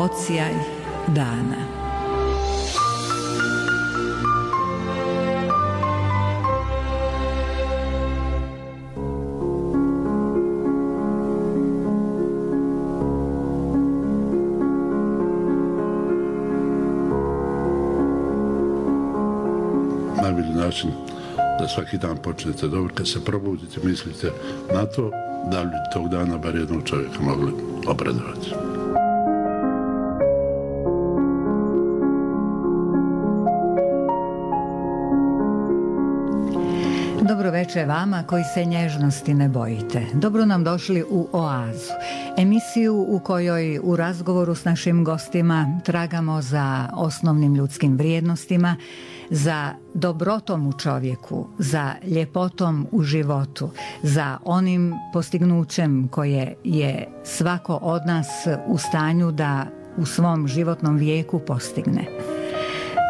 odsjaj dana. Najbolji način da svaki dan počnete dobro, kad se probudite, mislite na to da li tog dana bar jednog čovjeka mogli obradovati. Dobro večer vama koji se nježnosti ne bojite. Dobro nam došli u Oazu, emisiju u kojoj u razgovoru s našim gostima tragamo za osnovnim ljudskim vrijednostima, za dobrotom u čovjeku, za ljepotom u životu, za onim postignućem koje je svako od nas u stanju da u svom životnom vijeku postigne.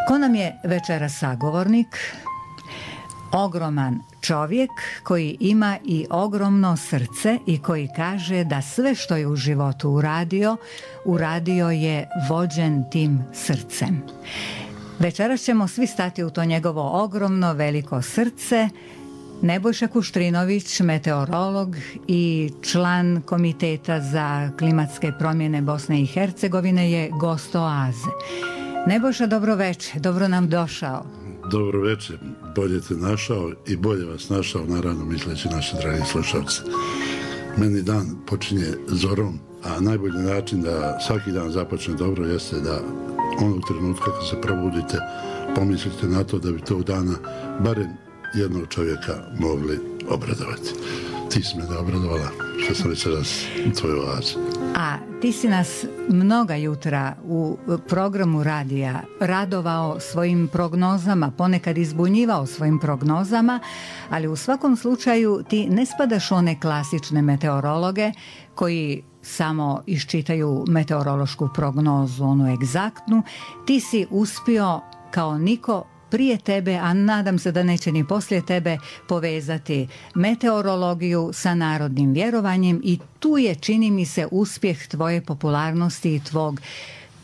Ko nam je večeras sagovornik? Ogroman čovjek koji ima i ogromno srce i koji kaže da sve što je u životu uradio je vođen tim srcem. Večeras ćemo svi stati u to njegovo ogromno veliko srce. Nebojša Kuštrinović, meteorolog i član Komiteta za klimatske promjene Bosne i Hercegovine, je gost Oaze. Nebojša, dobro večer, dobro nam došao. Dobro večer, bolje te našao i bolje vas našao, naravno misleći naši dragi slušalci. Meni dan počinje zorom, a najbolji način da svaki dan započne dobro jeste da onog trenutka kad se probudite pomislite na to da bi tog dana barem jednog čovjeka mogli obradovati. Ti si me da obradovala što sam večeras u tvojoj Oazi. A ti si nas mnoga jutra u programu radija radovao svojim prognozama, ponekad izbunjivao svojim prognozama, ali u svakom slučaju ti ne spadaš u one klasične meteorologe koji samo iščitaju meteorološku prognozu, onu egzaktnu. Ti si uspio kao niko prije tebe, a nadam se da neće ni poslije tebe, povezati meteorologiju sa narodnim vjerovanjem i tu je, čini mi se, uspjeh tvoje popularnosti i tvog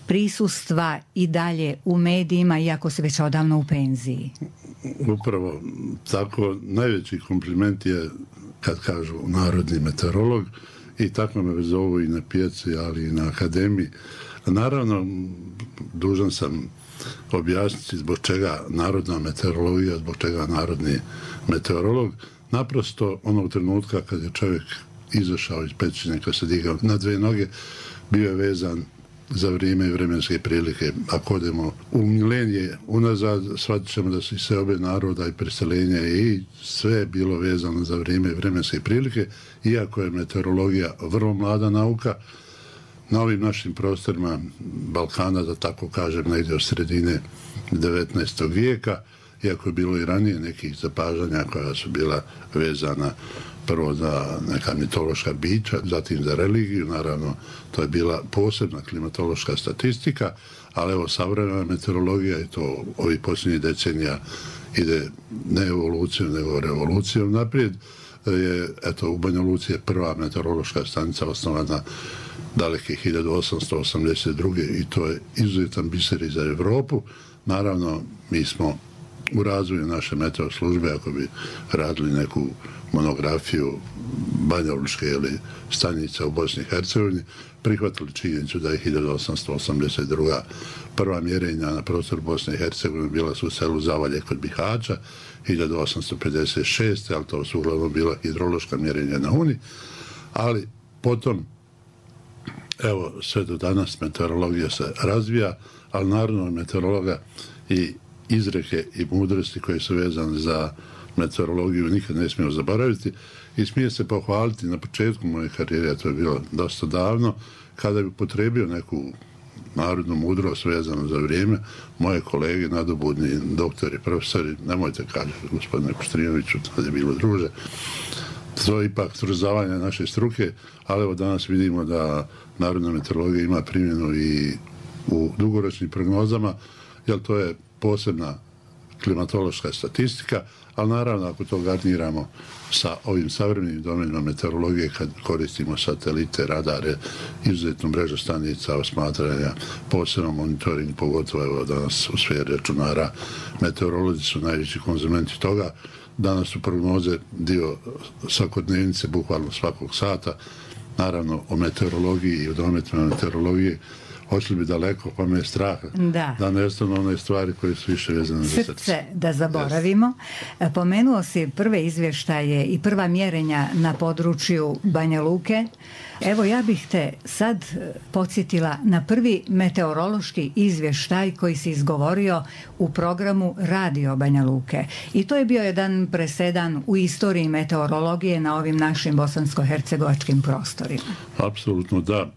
prisustva i dalje u medijima, iako si već odavno u penziji. Upravo tako, najveći kompliment je kad kažu narodni meteorolog i tako me zovu i na pijaci, ali i na akademiji. Naravno, dužan sam objasniti zbog čega narodna meteorologija, zbog čega narodni meteorolog. Naprosto onog trenutka kad je čovjek izašao iz pećine, kad se digao na dve noge, bio je vezan za vrijeme i vremenske prilike. Ako odemo u milenije unazad, shvatit ćemo da su sve obe naroda i preseljenja i sve je bilo vezano za vrijeme i vremenske prilike, iako je meteorologija vrlo mlada nauka. Na ovim našim prostorima Balkana, da tako kažem, negdje od sredine 19. vijeka, iako je bilo i ranije nekih zapažanja koja su bila vezana prvo za neka mitološka bića, zatim za religiju, naravno to je bila posebna klimatološka statistika, ali evo savremena meteorologija i to ovih posljednjih decenija ide ne evolucijom, nego revolucijom naprijed. Je, eto, u Banja Luci je prva meteorološka stanica osnovana daleke 1882. i to je izuzetan biser i za Evropu. Naravno, mi smo u razvoju naše meteo službe, ako bi radili neku monografiju banjalučke ili stanica u Bosni i Hercegovini, prihvatili činjenicu da je 1882. prva mjerenja na prostoru Bosne i Hercegovine bila su u selu Zavalje kod Bihaća, 1856. ali to su uglavnom bila hidrološka mjerenja na Uni, ali potom evo, sve do danas meteorologija se razvija, ali naravno meteorologa i izreke i mudrosti koje su vezane za meteorologiju nikad ne smijemo zaboraviti i smije se pohvaliti na početku moje karijere, to je bilo dosta davno, kada bi potrebio neku narodnu mudrost vezano za vrijeme, moje kolege, nadobudni doktori, profesori, nemojte kažete gospodine Kuštrinoviću, to je bilo druže, to je ipak trzavanje naše struke, ali evo danas vidimo da narodna meteorologija ima primjenu i u dugoročnim prognozama, jer to je posebna klimatološka statistika, ali naravno ako to garniramo sa ovim savremenim domenima meteorologije, kad koristimo satelite, radare, izuzetnu mrežu stanica osmatranja, posebno monitoring, pogotovo evo danas u sferi računara, meteorolozi su najveći konzumenti toga. Danas su prognoze dio svakodnevnice, bukvalno svakog sata. Naravno, o meteorologiji i o dometima meteorologije ošli bi daleko, pa me je strah da nestanu one stvari koje su više vezane za srce. Da zaboravimo. Yes. Pomenuo si prve izvještaje i prva mjerenja na području Banja Luke. Evo, ja bih te sad podsjetila na prvi meteorološki izvještaj koji si izgovorio u programu Radio Banja Luke. I to je bio jedan presedan u istoriji meteorologije na ovim našim bosansko-hercegovačkim prostorima. Apsolutno da.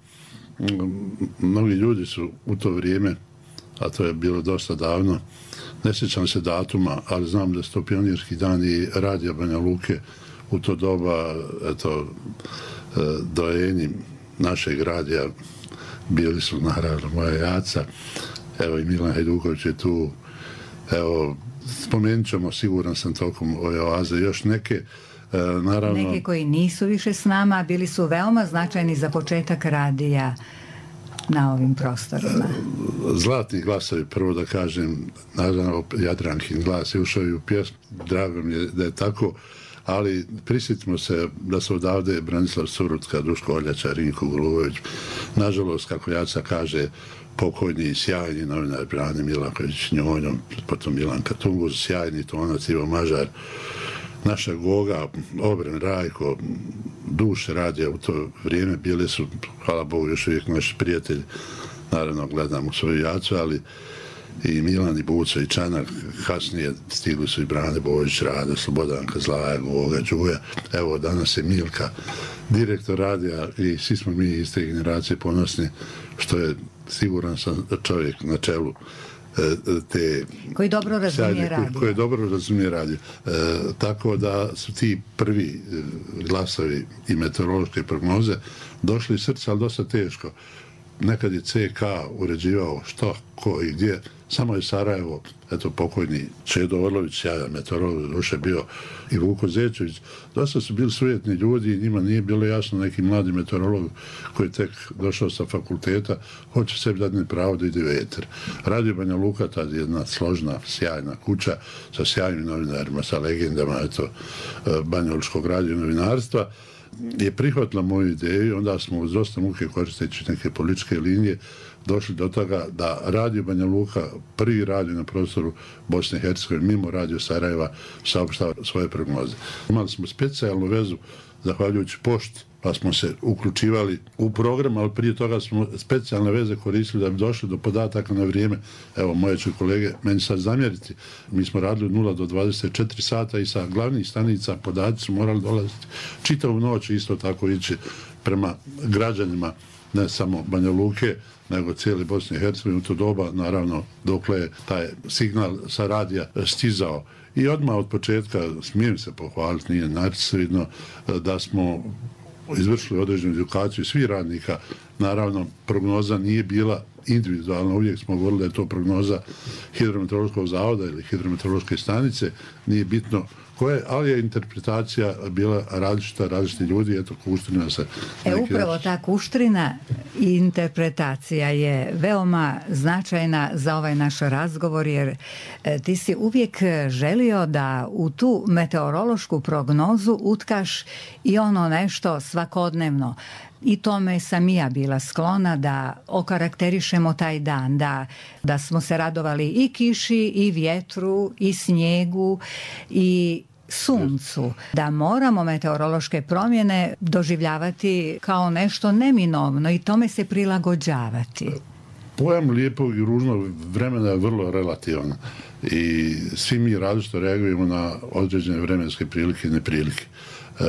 Mnogi ljudi su u to vrijeme, a to je bilo dosta davno, ne sjećam se datuma, ali znam da su to pionirski dani Radija Banja Luke u to doba, eto, dojeni našeg radija bili su naravno moja jaca, evo i Milan Hajduković je tu, evo, spomenut ćemo, siguran sam tokom ove oaze, još neke. Naravno, neki koji nisu više s nama, bili su veoma značajni za početak radija na ovim prostorima. Zlatni glasovi, prvo da kažem, naravno Jadrankin glas je ušao i u pjesmu, drago mi je da je tako, ali prisjetimo se da su odavde Branislav Surutka, Duško Oljača, Rinko Golubović, nažalost, kako Jaca kaže, pokojni i sjajni novinar Brane Milaković Njonjom, potom Milanka Tunguz, sjajni tonac Ivo Mažar, naša Goga, Obren, Rajko, duše radija u to vrijeme bili su, hvala Bogu, još uvijek naši prijatelji, naravno gledam u svoju Jacu, ali i Milan i Buco i Čanak, kasnije stigli su i Brane Bojić, Rade, Slobodanka, Zlaja, Goga, Đuja, evo danas je Milka, direktor radija i svi smo mi iz te generacije ponosni, što je siguran sam čovjek na čelu te koji dobro razumije radio. Koji dobro razumije radio. Tako da su ti prvi glasovi i meteorološke prognoze došli iz srca, ali dosta teško. Nekad je CK uređivao što, ko i gdje. Samo je Sarajevo, eto pokojni Čedo Orlović, ja meteorolog duše bio, i Vuko Zečević. Dosta su bili sujetni ljudi i njima nije bilo jasno neki mladi meteorolog koji je tek došao sa fakulteta, hoće sebi dati pravo da ide u eter. Radio Banja Luka, tad je jedna složna, sjajna kuća sa sjajnim novinarima, sa legendama, eto, banjalučkog radio novinarstva, je prihvatila moju ideju, onda smo uz dosta muke koristeći neke političke linije došli do toga da Radio Banja Luka, prvi radio na prostoru Bosne i Hercegovine, mimo Radio Sarajeva, saopštava svoje prognoze. Imali smo specijalnu vezu, zahvaljujući pošti, pa smo se uključivali u program, ali prije toga smo specijalne veze koristili da bi došli do podataka na vrijeme. Evo, moje će kolege meni sad zamjeriti. Mi smo radili od 0 do 24 sata i sa glavnih stanica podaci su morali dolaziti čitavu noć, isto tako ići prema građanima, ne samo Banja Luke, nego cijeli Bosne i Hercegovine u to doba, naravno, dokle je taj signal sa radija stizao. I odmah od početka, smijem se pohvaliti, nije načisto da smo izvršili određenu edukaciju svih radnika. Naravno, prognoza nije bila individualna, uvijek smo govorili da je to prognoza hidrometeorološkog zavoda ili hidrometeorološke stanice, nije bitno koje, ali je interpretacija bila različita, različiti ljudi, eto, Kuštrina se... Upravo ta Kuštrina i interpretacija je veoma značajna za ovaj naš razgovor, jer ti si uvijek želio da u tu meteorološku prognozu utkaš i ono nešto svakodnevno. I tome sam i ja bila sklona da okarakterišemo taj dan, da smo se radovali i kiši, i vjetru, i snijegu, i suncu, da moramo meteorološke promjene doživljavati kao nešto neminovno i tome se prilagođavati. Pojam lijepog i ružnog vremena je vrlo relativan i svi mi različito reagujemo na određene vremenske prilike i neprilike.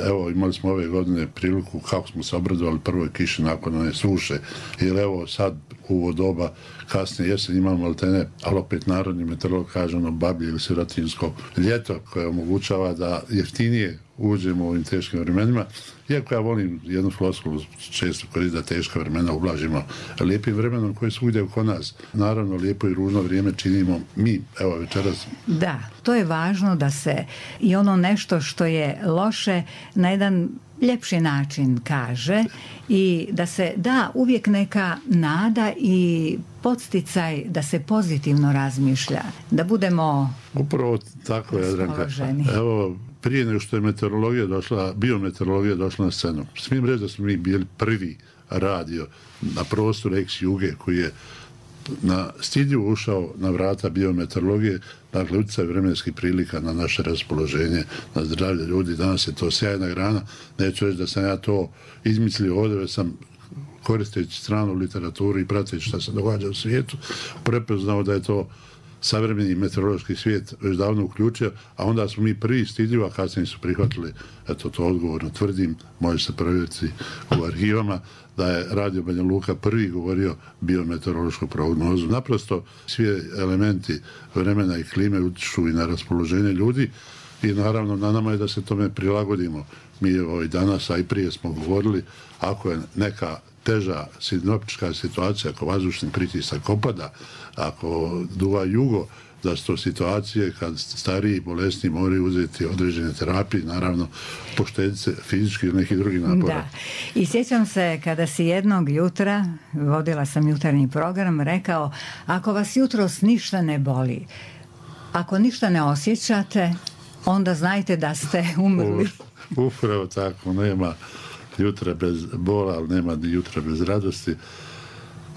Evo, imali smo ove godine priliku kako smo se obradovali prvoj kiši nakon one suše, jer evo sad u ovo doba kasnije jesen imamo altene, ali opet narodni meteorolog kaže ono bablje ili sirotinsko ljeto koje omogućava da jeftinije uđemo u ovim teškim vremenima. Iako ja volim jednu floskulu često koristiti da teška vremena ublažimo lijepim vremenom koje svugdje oko nas. Naravno, lijepo i ružno vrijeme činimo mi, evo večeras. Da, to je važno da se i ono nešto što je loše na jedan ljepši način kaže i da se da uvijek neka nada i podsticaj da se pozitivno razmišlja, da budemo upravo tako, Jadranka. Evo, prije nego što je biometeorologija došla na scenu, smijem reći da smo mi bili prvi radio na prostoru ex-Juge koji je na stidljivo ušao na vrata biometeorologije, dakle utjecaj vremenskih prilika na naše raspoloženje, na zdravlje ljudi. Danas je to sjajna grana, neću reći da sam ja to izmislio ovdje, već sam koristeći stranu literaturu i prateći šta se događa u svijetu, prepoznao da je to savremeni meteorološki svijet već davno uključio, a onda smo mi prvi stidljivo, a kasnije su prihvatili, eto to odgovorno tvrdim, može se provjeriti u arhivama, da je Radio Banja Luka prvi govorio biometeorološku prognozu. Naprosto svi elementi vremena i klime utječu i na raspoloženje ljudi i naravno na nama je da se tome prilagodimo. Mi i danas, a i prije smo govorili, ako je neka teža sinoptička situacija, ako vazdušni pritisak opada, ako duva jugo, da su to situacije kad stariji i bolesni moraju uzeti određene terapije, naravno poštedice fizički ili nekih drugih napora. Da. I sjećam se kada si jednog jutra, vodila sam jutarnji program, rekao, ako vas jutros ništa ne boli, ako ništa ne osjećate, onda znajte da ste umrli. Upravo tako, nema jutra bez bola, ali nema ni jutra bez radosti.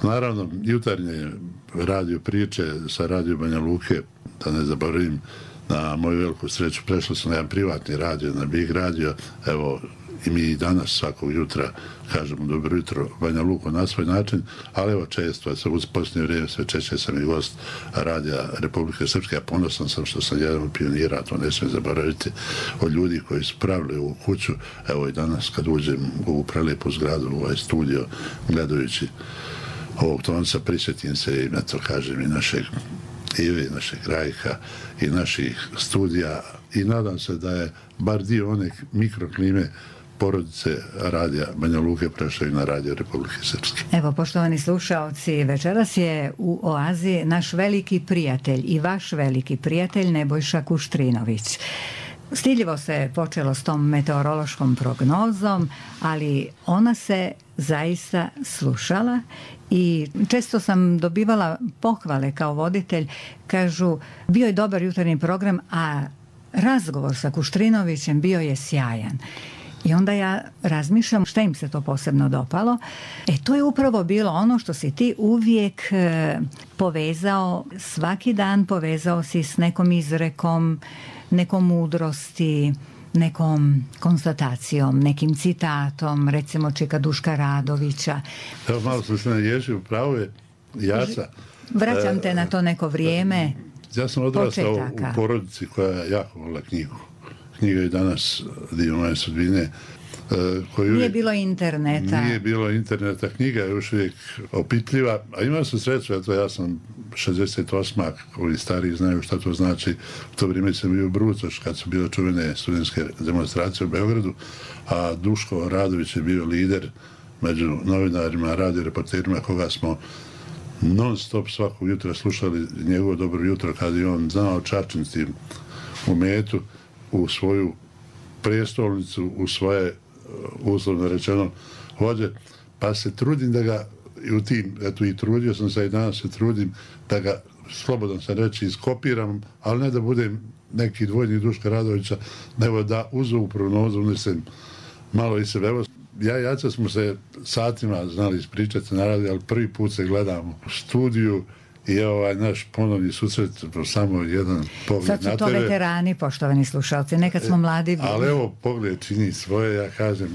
Naravno, jutarnje radio priče sa Radio Banja Luke, da ne zaboravim, na moju veliku sreću, prešlo sam na jedan privatni radio, na Big radio, evo, i mi i danas svakog jutra kažemo dobro jutro Banja Luko na svoj način, ali evo često, uz posljednje vrijeme sve češće sam i gost Radija Republike Srpske, a ponosan sam što sam jedan od pionira, to ne smijem zaboraviti, od ljudi koji su pravili u kuću, evo i danas kad uđem u ovu prelijepu zgradu, u ovaj studio, gledajući ovog tonca, prisjetim se i na to kažem i našeg Ive, našeg Rajka i naših studija i nadam se da je bar dio one mikroklime porodice Radija Banja Luke prešao i na Radio Republike Srpske. Evo, poštovani slušaoci, večeras je u Oazi naš veliki prijatelj i vaš veliki prijatelj Nebojša Kuštrinović. Stidljivo se počelo s tom meteorološkom prognozom, ali ona se zaista slušala i često sam dobivala pohvale kao voditelj, kažu, bio je dobar jutarnji program, a razgovor sa Kuštrinovićem bio je sjajan. I onda ja razmišljam šta im se to posebno dopalo. To je upravo bilo ono što si ti uvijek povezao, svaki dan povezao si s nekom izrekom, nekom mudrosti, nekom konstatacijom, nekim citatom, recimo Čeka Duška Radovića. Evo malo sam se naježio, pravo je Jaca. Vraćam te na to neko vrijeme. Ja sam odrastao u porodici koja jako volila knjigu. Knjiga je danas dio moje sudbine. Nije bilo interneta. Nije bilo interneta, knjiga je još uvijek opitljiva, a imao sam sreću, eto ja sam 68. Ovi stariji znaju šta to znači. U to vrijeme sam bio u Brucoš kad su bile čuvene studentske demonstracije u Beogradu, a Duško Radović je bio lider među novinarima, radio reporterima koga smo non stop svakog jutra slušali njegovo dobro jutro kad je on znao čačnici u metu, u svoju prijestolnicu, u svoje uslovno rečeno vođe, pa se trudim da ga i trudio sam se i danas se trudim da ga, slobodan sam reći, iskopiram, ali ne da budem neki dvojnik Duška Radovića, nego da uz ovu prognozu unesem malo i sebe. Evo, ja i Jaca smo se satima znali ispričati na radiju, ali prvi put se gledamo u studiju i naš ponovni susret, samo jedan pogled na tebe. Sad su to veterani, poštovani slušalci, nekad smo mladi bili. Ali evo, pogled čini svoje, ja kažem,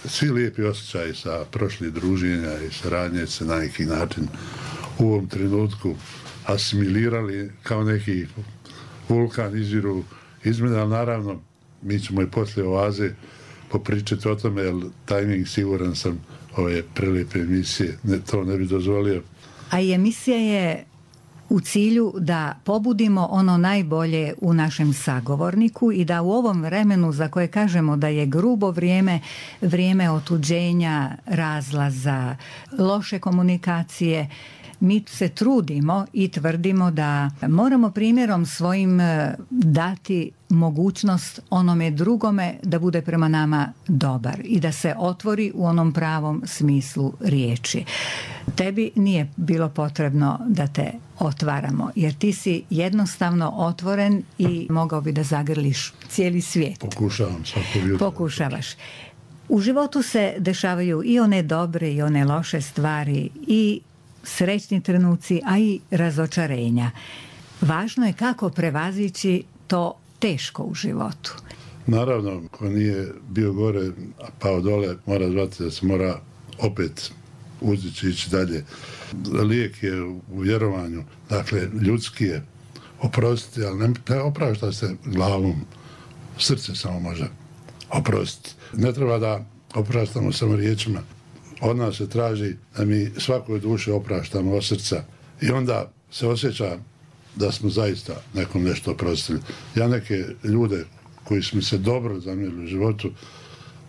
svi lijepi osjećaji sa prošlih druženja i saradnje se na neki način u ovom trenutku asimilirali kao neki vulkan izviru izmjene, ali naravno mi ćemo i poslije Oaze popričati o tome, jer tajming siguran sam ove prelijepe emisije to ne bi dozvolio. A i emisija je u cilju da pobudimo ono najbolje u našem sagovorniku i da u ovom vremenu za koje kažemo da je grubo vrijeme otuđenja, razlaza, loše komunikacije, mi se trudimo i tvrdimo da moramo primjerom svojim dati mogućnost onome drugome da bude prema nama dobar i da se otvori u onom pravom smislu riječi. Tebi nije bilo potrebno da te otvaramo, jer ti si jednostavno otvoren i mogao bi da zagrliš cijeli svijet. Pokušavam svako jutro. Pokušavaš. U životu se dešavaju i one dobre i one loše stvari i srećni trenuci, a i razočarenja. Važno je kako prevazići to teško u životu. Naravno, ko nije bio gore, a pao dole, mora zvati da se mora opet uzdići, ići dalje. Lijek je u vjerovanju, dakle, ljudski je oprostiti, ali ne oprašta se glavom, srce samo može oprostiti. Ne treba da opraštamo samo riječima. Od nas se traži da mi svakoj duši opraštamo od srca i onda se osjeća da smo zaista nekom nešto oprostili. Ja neke ljude koji su mi se dobro zamjerili u životu,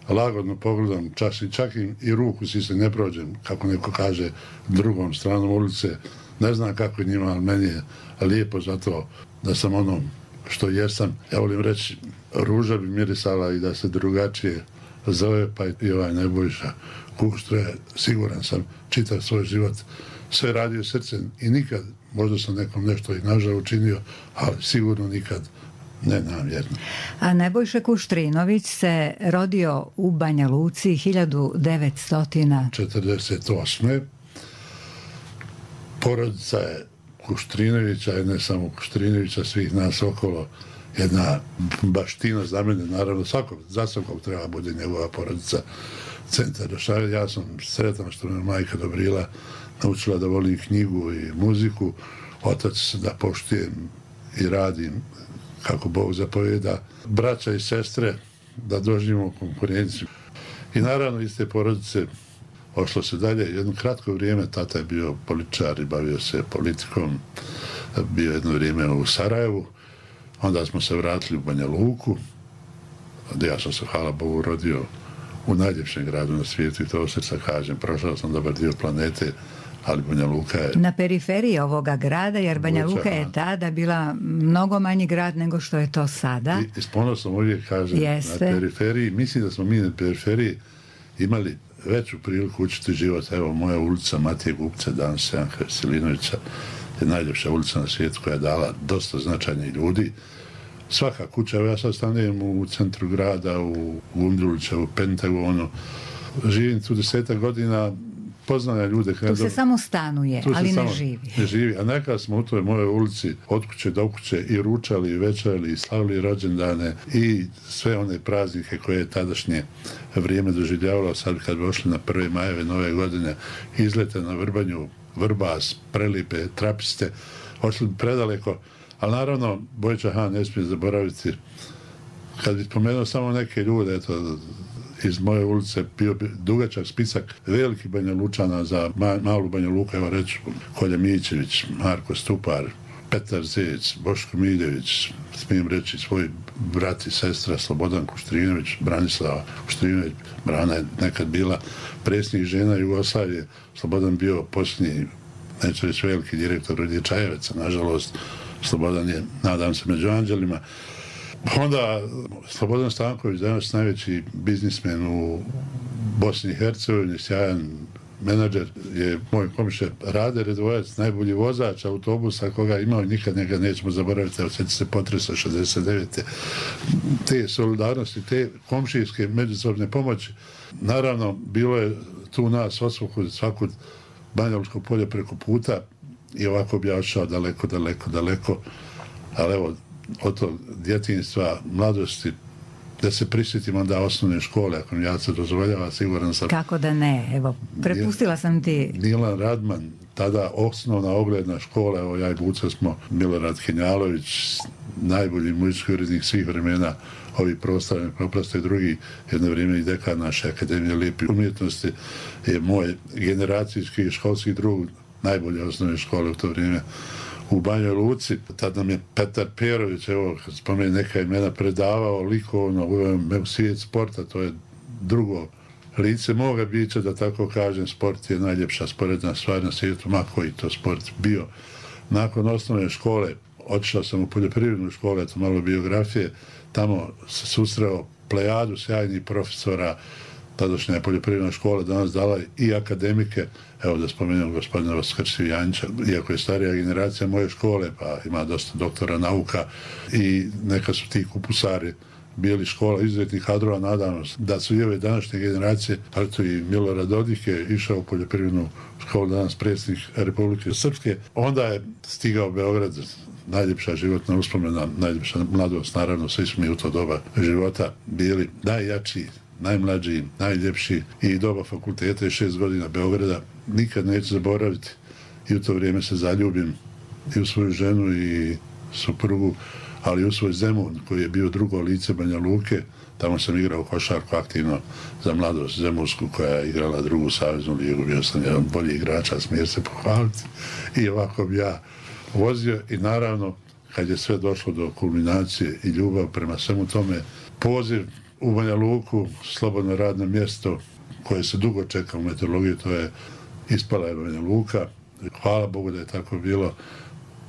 lagodno pogledam, čak im i ruku si se ne prođem, kako neko kaže, drugom stranom ulice. Ne znam kako je njima, ali meni je lijepo zato da sam ono što jesam. Ja volim reći, ruža bi mirisala i da se drugačije zove, pa i ovaj Nebojša Kuštro je, siguran sam, čitav svoj život sve radio srcem i nikad, možda sam nekom nešto i nažal učinio, ali sigurno nikad ne namjerno. A Nebojša Kuštrinović se rodio u Banja Luci 1948. Porodica je Kuštrinovića i ne samo Kuštrinovića, svih nas okolo, jedna baština za mene, naravno za svakog treba bude njegova porodica centar dešavanja. Ja sam sretan što me majka Dobrila naučila da volim knjigu i muziku, otac da poštujem i radim kako Bog zapovjeda, braća i sestre da doživimo konkurenciju. I naravno iz te porodice ošlo se dalje. Jedno kratko vrijeme tata je bio političar i bavio se politikom, bio jedno vrijeme u Sarajevu, onda smo se vratili u Banja Luku, gdje ja sam se, hvala Bogu, rodio u najljepšem gradu na svijetu i to srca kažem, prošao sam dobar dio planete, ali Banja Luka je... Na periferiji ovoga grada, jer Banja Luka je tada bila mnogo manji grad nego što je to sada. I s ponosom uvijek kažem, na periferiji, mislim da smo mi na periferiji imali veću priliku učiti život. Evo, moja ulica Matije Gupce, danas Janka Veselinovića, je najljepša ulica na svijetu koja je dala dosta značajnih ljudi. Svaka kuća, evo ja sad stanujem u centru grada, u Gundulića, u Pentagonu, živim tu 10 godina, poznane ljude. Tu se samo stanuje, ali ne živi. Ne živi, a nekad smo u toj mojoj ulici od kuće do kuće i ručali, i večerali, i slavili rođendane i sve one praznike koje je tadašnje vrijeme doživljavalo. Sad kad bi ošli na 1. majeve nove godine, izlete na Vrbanju, Vrbas, Prelipe, Trapiste, ošli bi predaleko, ali naravno Bojča Han ne smije zaboraviti. Kad bi spomenuo samo neke ljude, eto, iz moje ulice bio dugačak spisak velikih Banja Lučana za malu Banja Luku, evo reći Kolja Mićević, Marko Stupar, Petar Zec, Boško Miljević, smijem reći svoj brat i sestra Slobodan Kuštrinović, Branislava Kuštrinović. Brana je nekad bila predsjednik žena Jugoslavije, Slobodan bio posljednji, neću reći veliki direktor Rudije Čajeveca, nažalost Slobodan je, nadam se, među anđelima. Onda Slobodan Stanković, danas najveći biznismen u Bosni i Hercegovini, sjajan menadžer, je moj komšija Rade Redovajac, najbolji vozač autobusa koga imao i nikad njega nećemo zaboraviti, osjeti se potresa 69. Te solidarnosti, te komšijske međusobne pomoći. Naravno, bilo je tu nas osvukud svakog Banjalučko polje preko puta i ovako bi ja odšao daleko, ali evo, od tog djetinjstva, mladosti, da se prisjetim onda osnovne škole, ako mi ja se dozvoljava, siguran sam... Kako da ne, evo, prepustila sam ti... Milan Radman, tada osnovna ogledna škola, evo ja i Buca smo, Milorad Henjalović, najbolji muzički urednik svih vremena, ovi prostorni proprosto i drugi, jedno vrijeme i dekan naše Akademije lijepih umjetnosti, je moj generacijski školski drug, najbolje osnovne škole u to vrijeme u Banjoj Luci. Tad nam je Petar Perović, evo, kad spomeni neka imena, predavao likovno u svijet sporta, to je drugo lice moga bića, da tako kažem. Sport je najljepša sporedna stvar na svijetu, ma koji to sport bio. Nakon osnovne škole otišao sam u poljoprivrednu školu, eto malo biografije, tamo se susreo plejadu sjajnih profesora. Tadašnja poljoprivredna škola danas dala i akademike, evo da spomenem gospodina Vaskrstiju Janjića, iako je starija generacija moje škole, pa ima dosta doktora nauka i neka su ti kupusari bili škola izuzetnih kadrova, nadam se da su i ove današnje generacije, ali to i Milorad Dodik je išao u poljoprivrednu školu, danas predsjednik Republike Srpske. Onda je stigao Beograd, najljepša životna uspomena, najljepša mladost, naravno, svi smo mi u to doba života bili najjači, najmlađi, najljepši, i doba fakulteta i 6 godina Beograda nikad neću zaboraviti. I u to vrijeme se zaljubim i u svoju ženu i suprugu, ali u svoj Zemun, koji je bio drugo lice Banja Luke. Tamo sam igrao košarku aktivno za mladost Zemunsku, koja je igrala drugu saveznu ligu. Bio sam jedan bolji igrača, smijem se pohvaliti. I ovako bi ja vozio i naravno, kad je sve došlo do kulminacije i ljubav prema svemu tome, poziv u Banja Luku, slobodno radno mjesto koje se dugo čeka u meteorologiji, to je ispala je Banja Luka. Hvala Bogu da je tako bilo.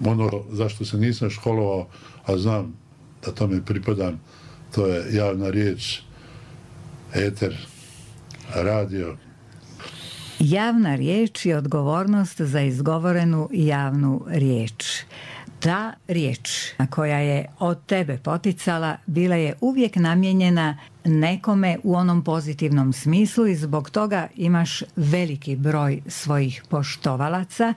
Ono zašto se nisam školovao, a znam da tome pripadam, to je javna riječ, eter, radio. Javna riječ i odgovornost za izgovorenu javnu riječ. Ta riječ koja je od tebe poticala bila je uvijek namijenjena nekome u onom pozitivnom smislu i zbog toga imaš veliki broj svojih poštovalaca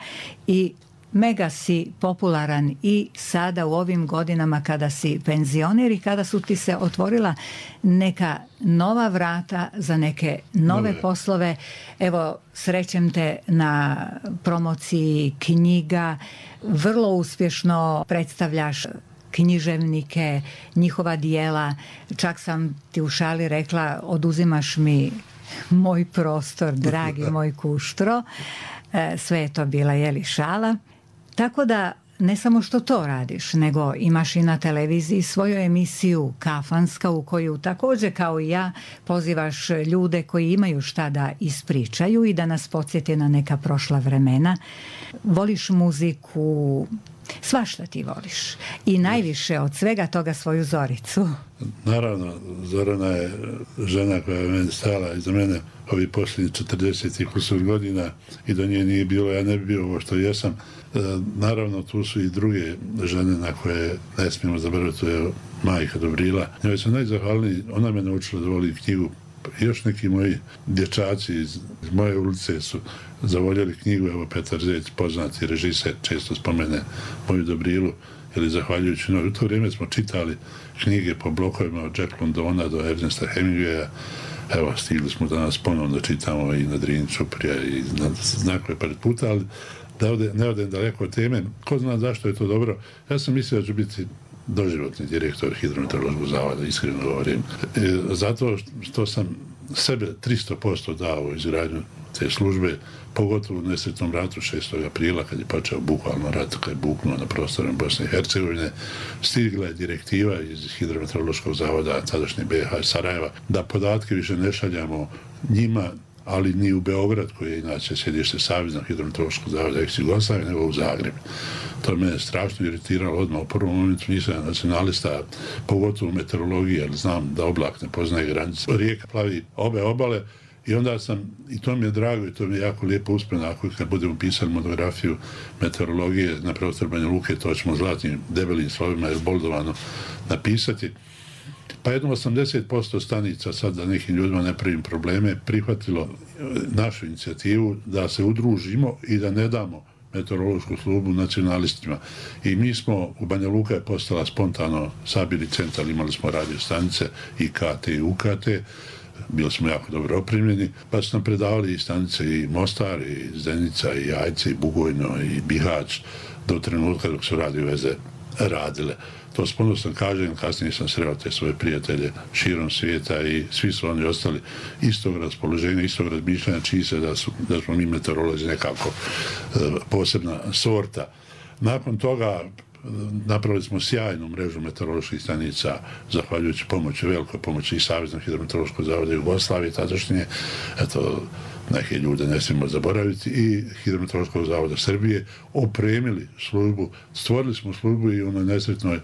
i mega si popularan i sada u ovim godinama kada si penzioner i kada su ti se otvorila neka nova vrata za neke nove poslove. Evo, srećem te na promociji knjiga, vrlo uspješno predstavljaš književnike, njihova dijela, čak sam ti u šali rekla, oduzimaš mi moj prostor, dragi moj Kuštro. Sve je to bila šala. Tako da ne samo što to radiš, nego imaš i na televiziji svoju emisiju Kafanska, u koju također kao i ja pozivaš ljude koji imaju šta da ispričaju i da nas podsjeti na neka prošla vremena. Voliš muziku, svašta ti voliš. I najviše od svega toga svoju Zoricu. Naravno, Zorana je žena koja je meni stala iza mene ovi posljednji 40 kusur godina i do nje nije bilo, ja ne bi bio ovo što jesam. Naravno, tu su i druge žene na koje ne smijemo zaboraviti, to je majka Dobrila. Njoj sam najzahvalniji, ona me naučila da voli knjigu. Još neki moji dječaci iz moje ulice su zavoljeli knjigu, evo Petar Zec, poznati režiser, često spomene moju Dobrilu, ili zahvaljujući njoj. U to vrijeme smo čitali knjige po blokovima od Jack Londona do Ernesta Hemingwaya. Evo, stigli smo danas ponovno da čitamo i na Drini Čuprija i na znakove pred puta, ali da ne odem daleko od teme. Ko zna zašto je to dobro? Ja sam mislio da ću biti doživotni direktor Hidrometeorološkog zavoda, iskreno govorim. Zato što sam sebe 300% dao u izgradnju te službe, pogotovo u nesretnom ratu 6. aprila, kad je počeo bukvalno rat, kad je buknuo na prostorima Bosne i Hercegovine, stigla je direktiva iz Hidrometeorološkog zavoda tadašnje BiH Sarajeva da podatke više ne šaljamo njima, ali ni u Beograd, koji je inače sjedište Saveznog hidrometeorološkog zavoda ex-Jugoslavije, nego u Zagreb. To me je strašno iritiralo odmah. U prvom momentu nisam nacionalista, pogotovo u meteorologiji, jer znam da oblak ne poznaje granice. Rijeka plavi obe obale i onda sam, i to mi je drago i to mi je jako lijepo uspjeno, ako kad budemo pisali monografiju meteorologije na prostor Banja Luke, to ćemo zlatnim debelim slovima jer boldovano napisati. Pa jedno 80% stanica, sad da nekim ljudima ne pravim probleme, prihvatilo našu inicijativu da se udružimo i da ne damo meteorološku službu nacionalistima. I mi smo, u Banja Luka je postala spontano sabili centar, imali smo radio stanice i KT i UKT, bili smo jako dobro opremljeni, pa su nam predavali i stanice i Mostar, i Zenica, i Jajce, i Bugojno, i Bihać, do trenutka dok su radio veze radile. To s ponosom kažem, kasnije sam sreo te svoje prijatelje širom svijeta i svi su oni ostali istog raspoloženja, istog razmišljanja, čiji se da smo mi meteorolozi nekako posebna sorta. Nakon toga napravili smo sjajnu mrežu meteoroloških stanica, zahvaljujući pomoći, velikoj pomoći i Saveznog hidrometeorološkog zavoda Jugoslavije, tadašnje, eto, neke ljude ne smijemo zaboraviti, i Hidrometeorološkog zavoda Srbije, opremili službu, stvorili smo službu i u onoj nesretnoj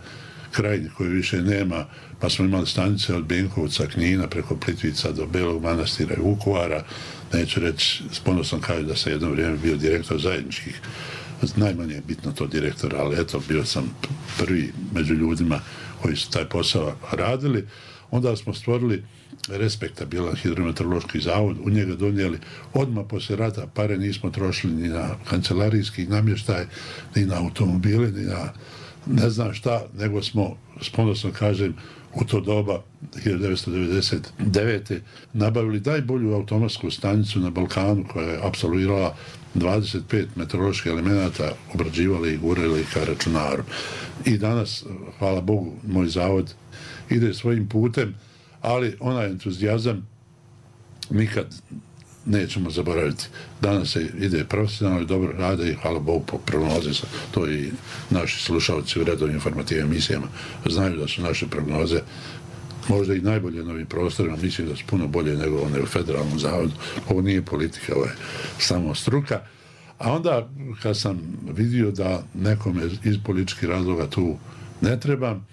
krajini koju više nema, pa smo imali stanice od Benkovca, Knina, preko Plitvica do Belog Manastira i Vukovara. Neću reći, s ponosom kažem da sam jedno vrijeme bio direktor zajedničkih, najmanje je bitno to direktor, ali eto, bio sam prvi među ljudima koji su taj posao radili. Onda smo stvorili respektabilan hidrometeorološki zavod, u njega donijeli odmah poslije rata, pare nismo trošili ni na kancelarijski namještaj, ni na automobile, ni na ne znam šta, nego smo, s ponosom kažem, u to doba 1999. nabavili najbolju automatsku stanicu na Balkanu koja je apsolvirala 25 meteoroloških elemenata, obrađivala i gurala ih ka računaru. I danas, hvala Bogu, moj zavod ide svojim putem, ali onaj entuzijazam nikad nećemo zaboraviti. Danas se ide profesionalno i dobro rade i hvala Bogu po prognoze. To i naši slušalci u redovnim informativnim emisijama znaju da su naše prognoze možda i najbolje na ovim prostorima, mislim da su puno bolje nego one u federalnom zavodu. Ovo nije politika, ovo je samo struka. A onda, kad sam vidio da nekome iz političkih razloga tu ne trebam,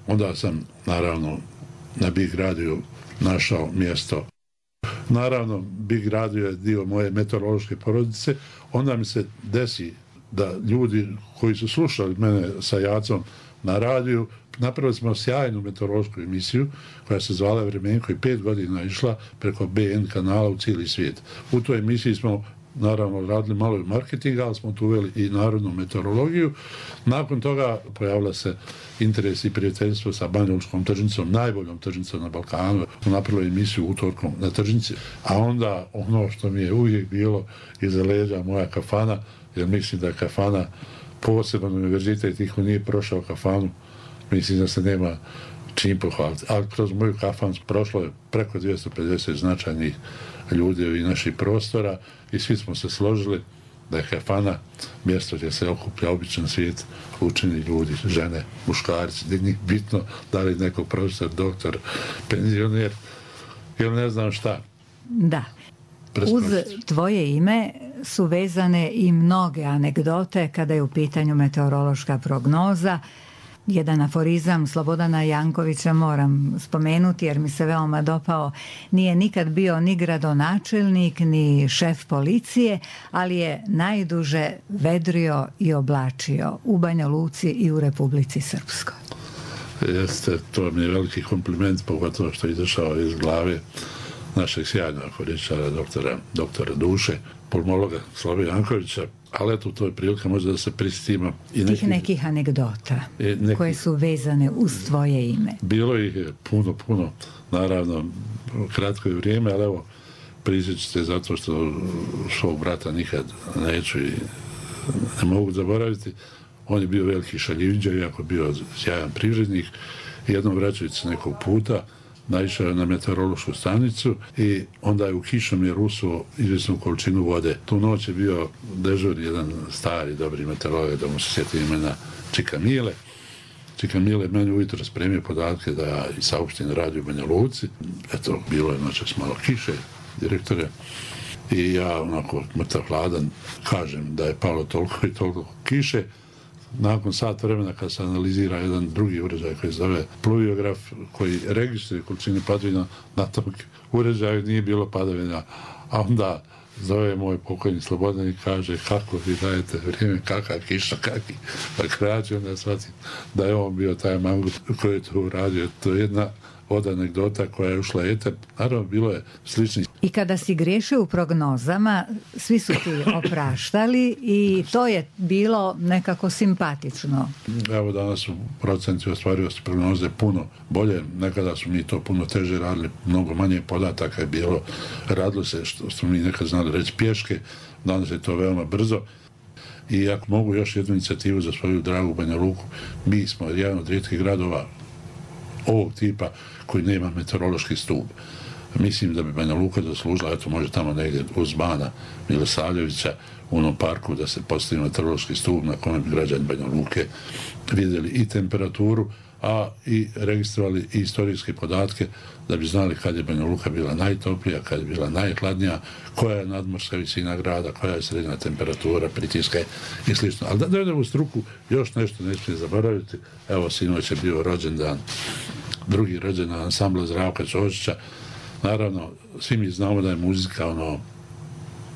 onda sam, naravno, na Big Radio našao mjesto. Naravno, Big Radio je dio moje meteorološke porodice. Onda mi se desi da ljudi koji su slušali mene sa Jacom na radiju, napravili smo sjajnu meteorološku emisiju koja se zvala Vremenko i 5 godina išla preko BN kanala u cijeli svijet. U toj emisiji smo naravno radili malo i marketinga, ali smo tu uveli i narodnu meteorologiju. Nakon toga pojavila se interes i prijateljstvo sa Banjalučkom tržnicom, najboljom tržnicom na Balkanu. Napravili emisiju utorkom na tržnici, a onda ono što mi je uvijek bilo iza leđa moja kafana, jer mislim da kafana, posebno univerzitet, ih nije prošao kafanu, mislim da se nema čim pohvaliti. Ali kroz moju kafanu prošlo je preko 250 značajnih ljudi i naših prostora i svi smo se složili da je kafana mjesto gdje se okuplja običan svijet, učeni ljudi, žene, muškarci, gdje njih bitno da li neko profesor, doktor, penzioner ili ne znam šta. Da. Uz tvoje ime su vezane i mnoge anegdote kada je u pitanju meteorološka prognoza. Jedan aforizam Slobodana Jankovića moram spomenuti jer mi se veoma dopao. Nije nikad bio ni gradonačelnik, ni šef policije, ali je najduže vedrio i oblačio u Banja Luci i u Republici Srpskoj. Jeste, to mi je veliki kompliment, pogotovo što je izašao iz glave našeg sjajnog aforičara, doktora duše, pulmologa Slobodana Jankovića. Ali eto, to je prilika možda da se prisjetimo i nekih anegdota koje su vezane uz tvoje ime. Bilo ih je puno, naravno, kratko je vrijeme, ali evo, prisjeću se zato što svog brata nikad neću i ne mogu zaboraviti. On je bio veliki šaljivđa, iako je bio sjajan privrednik. Jednom vraćajući se nekog puta, naišao je na meteorološku stanicu i onda je u kišomjer usuo izvjesnu količinu vode. Tu noć je bio dežur jedan stari, dobri meteorolog, da mu se sjeti imena Čika Mile. Čika Mile meni ujutro spremio podatke da ja i saopštim radio u Banja Luci. Eto, bilo je noćas malo kiše, direktore. I ja, onako, mrtav hladan, kažem da je palo toliko i toliko kiše. Nakon sat vremena kad se analizira jedan drugi uređaj koji se zove pluviograf, koji registruje količine padavina, na tom uređaju nije bilo padavina, a onda zove moj pokojni Slobodan i kaže kako vi dajete vrijeme, kakav kiša, kakvi. Pa krađe onda shvatim da je on bio taj mangut koji je to uradio. To je jedna od anegdota koja je ušla eter. Naravno, bilo je sličnih. I kada si griješio u prognozama, svi su ti opraštali i to je bilo nekako simpatično. Evo, danas u procenti ostvarivosti prognoze puno bolje. Nekada su mi to puno teže radili, mnogo manje podataka je bilo. Radilo se, što smo mi nekad znali reći, pješke. Danas je to veoma brzo. I ako mogu još jednu inicijativu za svoju dragu Banja Luku, mi smo jedan od rijetkih gradova ovog tipa koji nema meteorološki stup. mislim da bi Banja Luka zaslužila, eto može tamo negdje uz Bana Milosavljevića u onom parku da se postavi meteorološki stup na kojem bi građani Banja Luke vidjeli i temperaturu, a i registrovali i istorijske podatke da bi znali kad je Banja Luka bila najtoplija, kad je bila najhladnija, koja je nadmorska visina grada, koja je srednja temperatura, pritiska i sl. Ali da idemo u struku, još nešto ne smije zaboraviti. Evo, sinoć je bio rođendan, drugi rođendan ansambla Zdravka Ćosića. Naravno, svi mi znamo da je muzika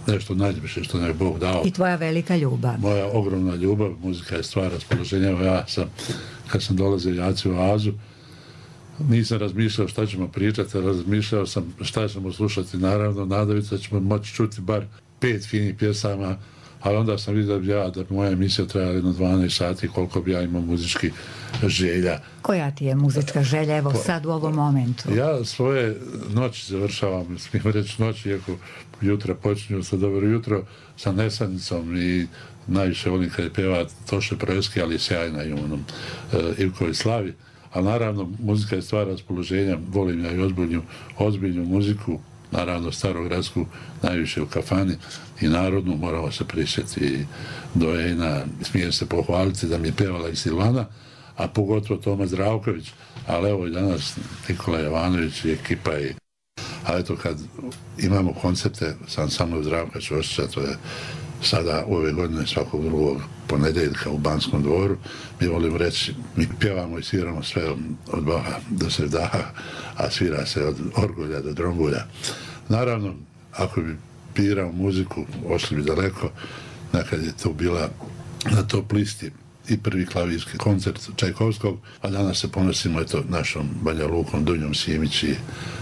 nešto najljepše što nam je Bog dao. I tvoja velika ljubav. Moja ogromna ljubav, muzika je stvar raspoloženja. Ja sam, kad sam dolazio jaci u Oazu, nisam razmišljao šta ćemo pričati, razmišljao sam šta ćemo slušati. Naravno, nadajući da ćemo moći čuti bar 5 finih pjesama, ali onda sam vidio da bi moja emisija trajala jedno 12 sati, koliko bi ja imao muzički želja. Koja ti je muzička želja, evo sad u ovom momentu? Ja svoje noći završavam, smijem reći noći, iako jutra počinju sa dobro jutro, sa Nesanicom i najviše volim kad je pjeva Toše Projevski, ali je sjajna i onom Ivkovi Slavi. A naravno, muzika je stvar raspoloženja, volim ja i ozbiljnu muziku, naravno starogradsku, najviše u kafani i narodnu, moramo se prisjetiti Dojena, smijem se pohvaliti da mi je pjevala i Silvana, a pogotovo Toma Zdravković, ali evo i danas Nikola Jovanović i ekipa. A eto kad imamo koncepte sa ansamblom Zdravka Ćosića, to je sada ove godine svakog drugog ponedjeljka u Banskom dvoru, mi volimo reći, mi pjevamo i sviramo sve od Boha do Sevdaha, a svira se od orgulja do drongulja. Naravno, ako bi birao muziku, ošli bi daleko, nekad je to bila na top listi i prvi klavirski koncert Čajkovskog, a danas se ponosimo našom Banja Lukom, Dunjom Simić i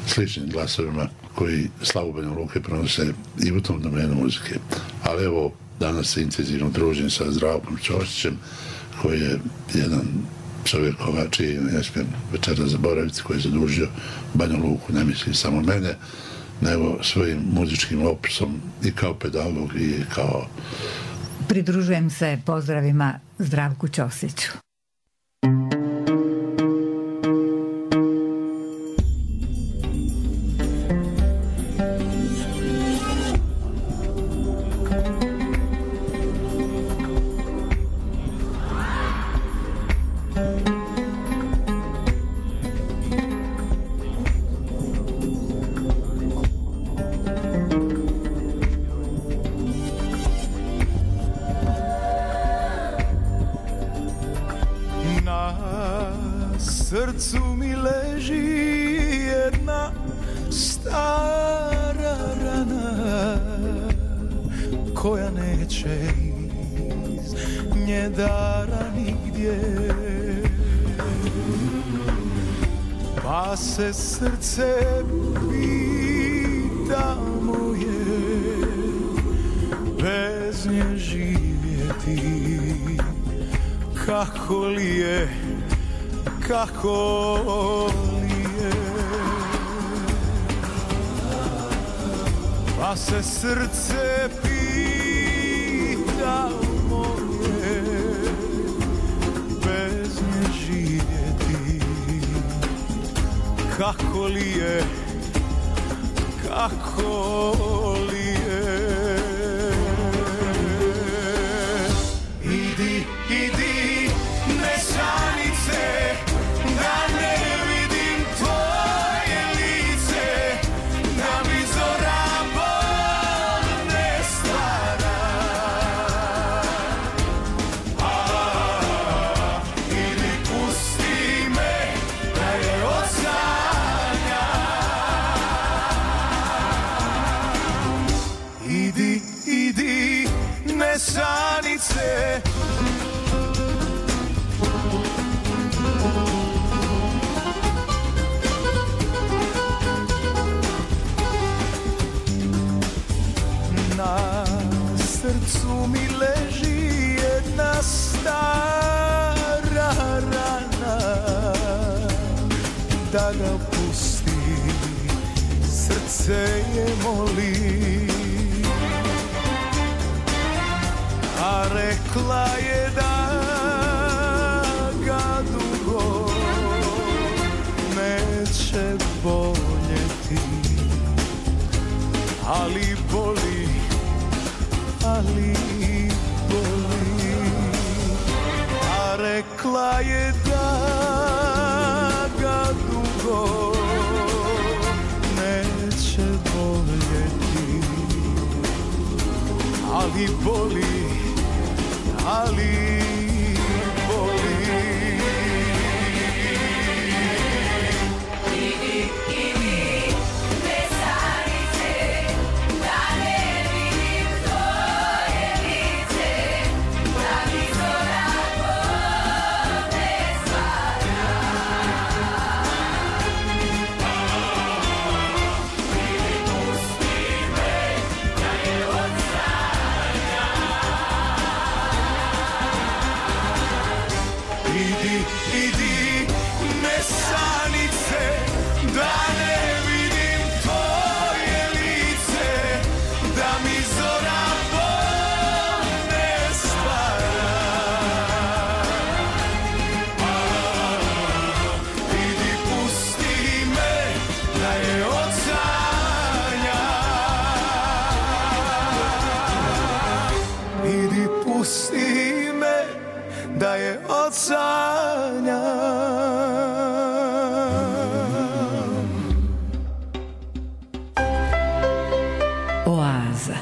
sličnim glasovima koji slavu Banja Luke pronose i u tom domenu muzike. Ali evo, danas se intenzivno družim sa Zdravkom Ćosićem, koji je jedan čovjek čiji ne smijem večera zaboraviti, koji je zadužio Banja Luku, ne mislim samo mene, nego svojim muzičkim opisom i kao pedagog i kao... Pridružujem se pozdravima Zdravku Ćosiću. Srcu mi leži jedna stara rana koja neće iz nje dara nigdje, pa se srce pita moje bez nje živjeti, kako li je, kako li je, pa se srce pita moje bez nje živjeti, kako li je, kako li je. Idi, idi, nesanice, da ne vidim tvoje lice, da mi zora bol ne stvara. Ili pusti me da je osanja. Idi, idi, nesanice, na srcu mi leži jedna stara rana, da ga pusti, srce je moli, a rekla je da ga dugo neće boljeti. ali boli, ali boli. A rekla je da ga dugo neće voljeti, ali boli, ali boli. Da je od sanja. Oaza.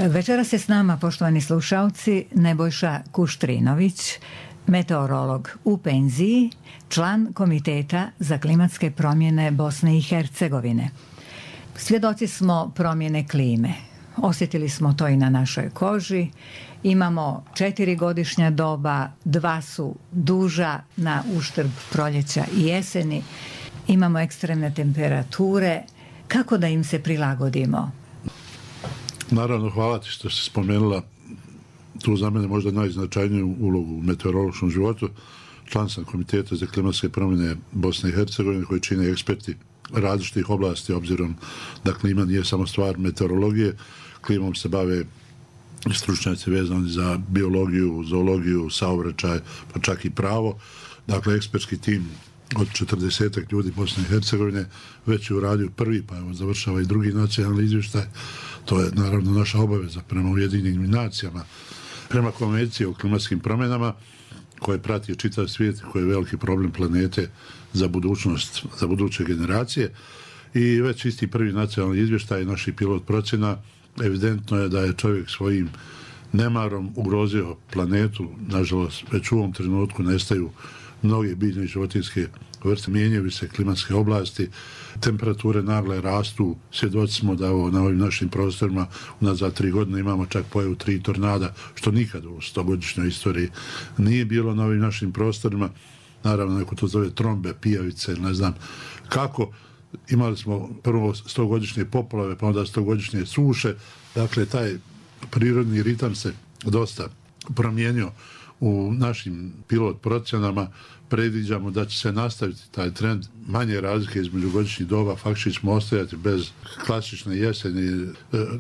Večeras je s nama, poštovani slušalci, Nebojša Kuštrinović, meteorolog u penziji, član Komiteta za klimatske promjene Bosne i Hercegovine. Svjedoci smo promjene klime. Osjetili smo to i na našoj koži. Imamo 4 godišnja doba, 2 su duža na uštrb proljeća i jeseni. Imamo ekstremne temperature. Kako da im se prilagodimo? Naravno, hvala ti što si spomenula tu za mene možda najznačajniju ulogu u meteorološkom životu. Član sam Komiteta za klimatske promjene Bosne i Hercegovine koji čine eksperti različitih oblasti, obzirom da klima nije samo stvar meteorologije. Klimom se bave stručnjaci vezani za biologiju, zoologiju, saobraćaj, pa čak i pravo. Dakle, ekspertski tim od 40 ljudi Bosne i Hercegovine već je uradio prvi, pa evo završava i drugi nacionalni izvještaj. To je naravno naša obaveza prema Ujedinjenim nacijama, prema konvenciji o klimatskim promjenama koje prati čitav svijet, koji je veliki problem planete za budućnost, za buduće generacije. I već isti prvi nacionalni izvještaj naših pilot procjena, evidentno je da je čovjek svojim nemarom ugrozio planetu. Nažalost, već u ovom trenutku nestaju mnoge biljne i životinjske vrste, mijenjaju se klimatske oblasti, temperature nagle rastu. Svjedoci smo da na ovim našim prostorima unazad 3 godine imamo čak pojavu 3 tornada, što nikad u 100-godišnjoj istoriji nije bilo na ovim našim prostorima. Naravno, neko to zove trombe, pijavice, ne znam kako. Imali smo prvo 100-godišnje poplave, pa onda 100-godišnje suše. Dakle, taj prirodni ritam se dosta promijenio u našim pilot procjenama. Predviđamo da će se nastaviti taj trend manje razlike između godišnjih doba. Faktički ćemo ostajati bez klasične jeseni.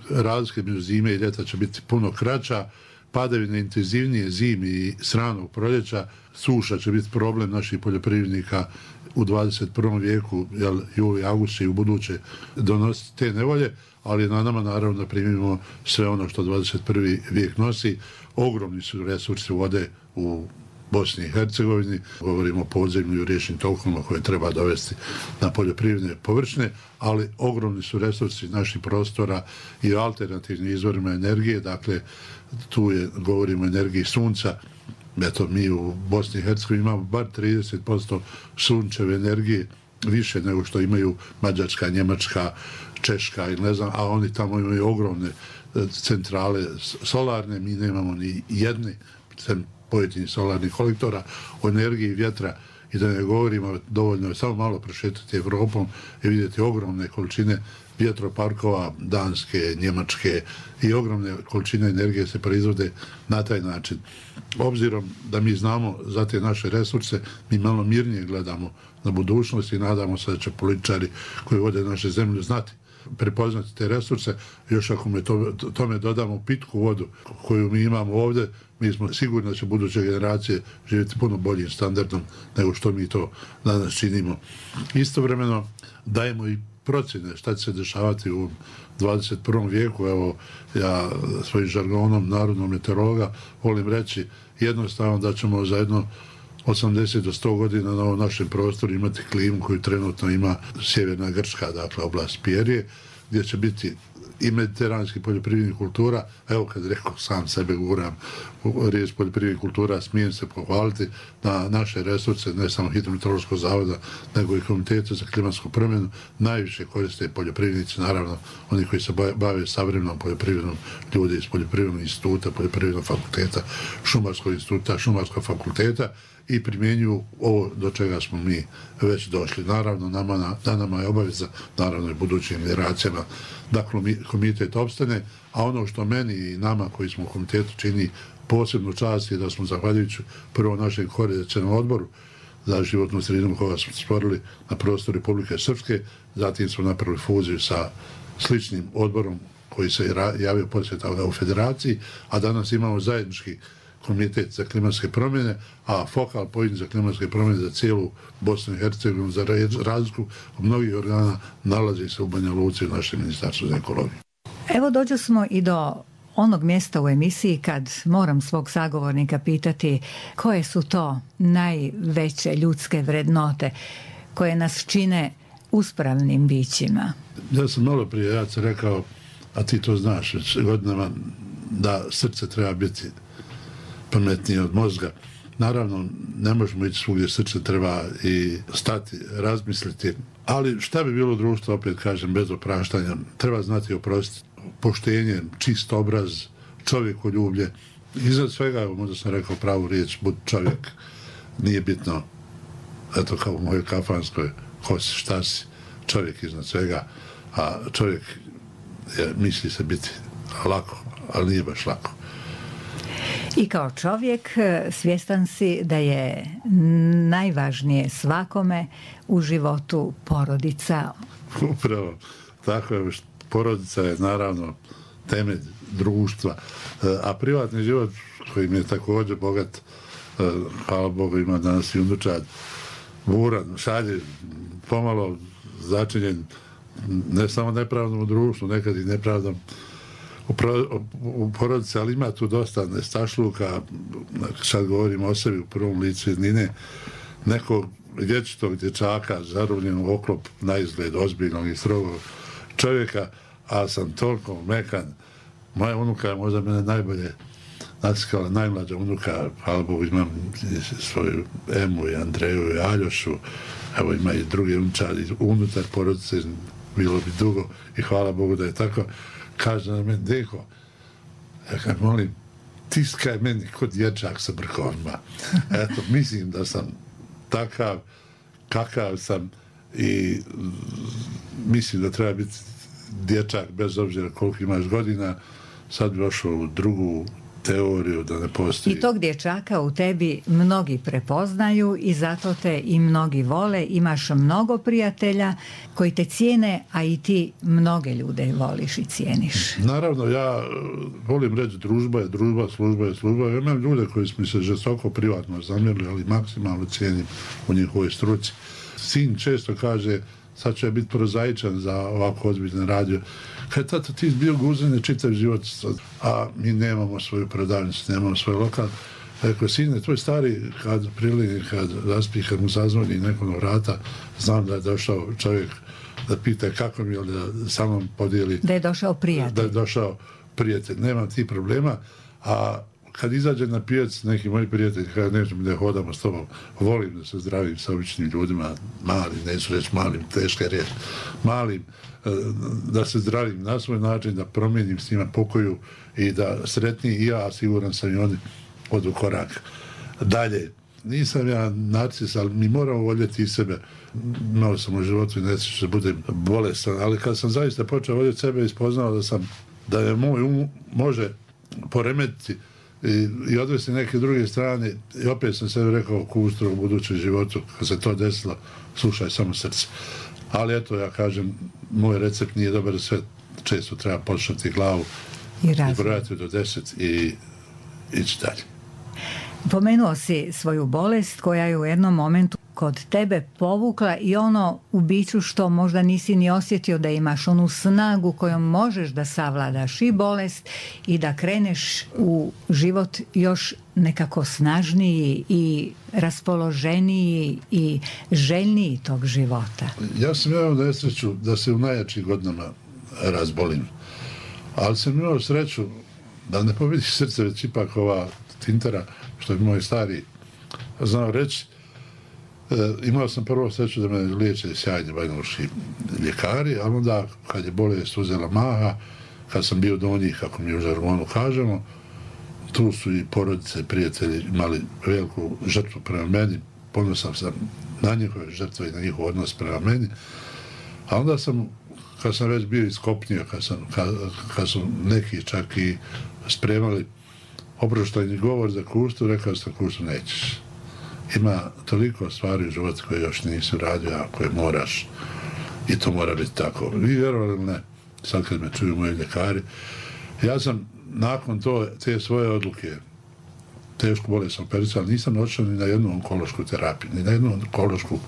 Razlike među zime i ljeta će biti puno kraća. Padavine intenzivnije zimi i sranog proljeća. Suša će biti problem naših poljoprivrednika u 21. vijeku, jer juli, august će i u buduće donositi te nevolje, ali na nama naravno da primimo sve ono što 21. vijek nosi. Ogromni su resursi vode u Bosni i Hercegovini. Govorimo o podzemlju i riječnim tokovima koje treba dovesti na poljoprivredne površine, ali ogromni su resursi naših prostora i o alternativnim izvorima energije. Dakle, tu govorimo o energiji sunca. Eto, mi u Bosni i Hercegovini imamo bar 30% sunčeve energije, više nego što imaju Mađarska, Njemačka, Češka ili ne znam, a oni tamo imaju ogromne centrale solarne, mi nemamo ni jedne pojedinih solarnih kolektora o energiji vjetra. I da ne govorimo, dovoljno je samo malo prošetati Evropom i vidjeti ogromne količine vjetroparkova Danske, Njemačke i ogromne količine energije se proizvode na taj način. Obzirom da mi znamo za te naše resurse, mi malo mirnije gledamo na budućnost i nadamo se da će političari koji vode naše zemlje znati prepoznati te resurse, još ako tome dodamo pitku vodu koju mi imamo ovdje, mi smo sigurni da će buduće generacije živjeti puno boljim standardom nego što mi to danas činimo. Istovremeno dajemo i procjene šta će se dešavati u 21. vijeku. Evo, ja svojim žargonom narodnog meteorologa volim reći jednostavno da ćemo za jedno 80 do 100 godina na ovom našem prostoru imati klimu koju trenutno ima sjeverna Grčka, dakle oblast Pijerije, gdje će biti i mediteranskih poljoprivrednih kultura. Evo kad rekao sam sebe guram riječ poljoprivrednih kultura, smijem se pohvaliti na naše resurse, ne samo Hidrometeorološkog zavoda, nego i Komiteta za klimatsku promjenu. Najviše koriste poljoprivrednici, naravno oni koji se bave savremenom poljoprivrednom, ljudi iz poljoprivrednog instituta, poljoprivrednog fakulteta, šumarskog instituta, šumarskog fakulteta, i primjenjuju ovo do čega smo mi već došli. Naravno, nama je obaveza, naravno i budućim generacijama, da komitet opstane, a ono što meni i nama koji smo u komitetu čini posebnu čast je da smo, zahvaljujući prvo našem koordinacionom odboru za životnu sredinu koga smo stvorili na prostoru Republike Srpske, zatim smo napravili fuziju sa sličnim odborom koji se javio poslije toga u federaciji, a danas imamo zajednički komitet za klimatske promjene, a focal point za klimatske promjene za cijelu Bosnu i Hercegovinu, za razliku od mnogih organa, nalazi se u Banja Luci u našem ministarstvu za ekologiju. Evo dođo smo i do onog mjesta u emisiji kad moram svog sagovornika pitati koje su to najveće ljudske vrednote koje nas čine uspravnim bićima. Ja sam malo prije, ja sam rekao, a ti to znaš već godinama, da srce treba biti pametnije od mozga. Naravno, ne možemo ići svugdje, srce treba i stati, razmisliti, ali šta bi bilo društvo, opet kažem, bez opraštanja? Treba znati oprostiti, poštenje, čist obraz, čovjekoljublje. Iznad svega, možda sam rekao pravu riječ, budi čovjek, nije bitno, eto kao u mojoj kafanskoj, ko si, šta si, čovjek iznad svega, a čovjek misli se biti lako, ali nije baš lako. I kao čovjek svjestan si da je najvažnije svakome u životu porodica. Upravo, tako je, porodica je naravno temelj društva, a privatni život koji mi je također bogat, hvala Bogu, ima danas i unučad, buran, šalje, pomalo začinjen ne samo nepravdom u društvu, nekad i nepravdom u porodici, ali ima tu dosta nestašluka, sad govorimo o sebi u prvom licu jednine, nekog dječitog dječaka zarobljenog oklop na izgled ozbiljnog i strogog čovjeka, a sam toliko mekan. Moja unuka je možda mene najbolje naciskala, najmlađa unuka, hvala Bogu, imam svoju Emu i Andreju i Aljošu, evo ima i drugi unčadi unutar porodice, bilo bi dugo i hvala Bogu da je tako. Kaže na meni, deko, ja kad molim, tiskaj meni kod dječak sa brkovima. Eto, mislim da sam takav, kakav sam i mislim da treba biti dječak bez obzira koliko imaš godina. Sad bi došao u drugu teoriju da ne postoji. I tog dječaka u tebi mnogi prepoznaju i zato te i mnogi vole. Imaš mnogo prijatelja koji te cijene, a i ti mnoge ljude voliš i cijeniš. Naravno, ja volim reći družba je družba, služba je služba. Ja imam ljude koji mi se žestoko privatno zamjerili, ali maksimalno cijenim u njihovoj struci. Sin često kaže, sad će biti prozaičan za ovako ozbiljne radio. Kad tato, ti bio guzine čitav život, a mi nemamo svoju prodavnicu, nemamo svoj lokal. Rekao, sine, tvoj stari, kad prilini, kad zaspi, kad mu zazvoni neko na vrata, znam da je došao čovjek da pita kako mi je, da sa mnom podijeli. Da je došao prijatelj. Da je došao prijatelj. Nemam ti problema, a kad izađe na pijac neki moji prijatelji, kada nećemo da hodamo s tobom, volim da se zdravim sa običnim ljudima, malim, neću reći malim, teška riječ, malim, da se zdravim na svoj način, da promijenim s njima pokoju i da sretni i ja, siguran sam i oni odu korak dalje. Nisam ja narcis, ali mi moramo voljeti i sebe. Imao sam u životu i neću se budem bolestan, ali kad sam zaista počeo voljeti sebe i spoznao da je moj može poremetiti i odvesti neke druge strane. I opet sam sebi rekao, Kustro, u budućem životu, kad se to desilo, slušaj samo srce. Ali eto, ja kažem, moj recept nije dobar, sve često treba početi glavu i brojati do 10 i ići dalje. Pomenuo si svoju bolest koja je u jednom momentu kod tebe povukla i ono u biću što možda nisi ni osjetio, da imaš onu snagu kojom možeš da savladaš i bolest i da kreneš u život još nekako snažniji i raspoloženiji i željniji tog života. Ja sam imao nesreću da se u najjačim godinama razbolim, ali sam imao sreću da ne pobediš srce, već ipak ova tintera, što je moj stari znao reći. Imao sam prvo sreću da me liječe sjajni banjalučki ljekari, a onda kad je bolest uzela maha, kad sam bio do njih, kako mi u žargonu kažemo, tu su i porodice, prijatelji imali veliku žrtvu prema meni, ponosan sam na njihove žrtve i na njihov odnos prema meni, a onda sam, kad sam već bio iskopnio, kad su neki čak i spremali oproštajni govor za Kustu, rekao sam, Kustu, nećeš. Ima toliko stvari u životu koje još nisi uradio, a koje moraš, i to mora biti tako. Vi vjerovali ili ne, sad kad me čuju moji ljekari, ja sam nakon te svoje odluke, tešku bolest sam operisao, ali nisam odšao ni na jednu onkološku terapiju, ni na jednu onkološku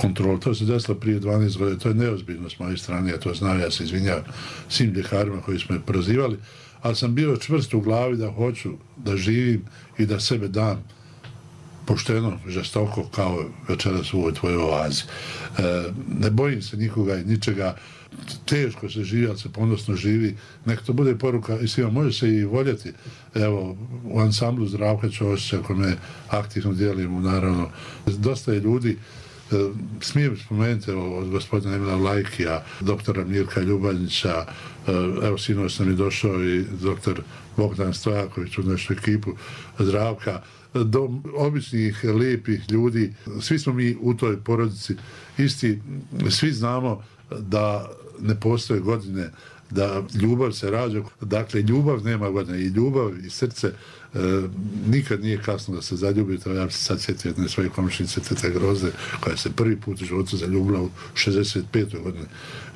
kontrolu. To se desilo prije 12 godina, to je neozbiljno s moje strane, ja to znam, ja se izvinjavam svim ljekarima koji smo me prozivali, ali sam bio čvrst u glavi da hoću da živim i da sebe dam pošteno, žestoko, kao večeras u ovoj tvojoj oazi. Ne bojim se nikoga i ničega, teško se živi, ali se ponosno živi. Neka to bude poruka i svima, može se i voljeti. Evo, u ansamblu Zdravka Ćosića, kome aktivno dijelimo, naravno, dosta je ljudi. Smijem spomenuti od gospodina Emila Lajkija, doktora Mirka Ljubanjića, evo sinoć nam je došao i doktor Bogdan Stojaković u našu ekipu Zdravka, do običnih, lijepih ljudi. Svi smo mi u toj porodici isti, svi znamo da ne postoje godine, da ljubav se rađa. Dakle, ljubav nema godine i ljubav i srce nikad nije kasno da se zaljubite. Ja se sad sjetio jedne svoje komšnice, tete Groze, koja se prvi put u životu zaljubila u 65. godine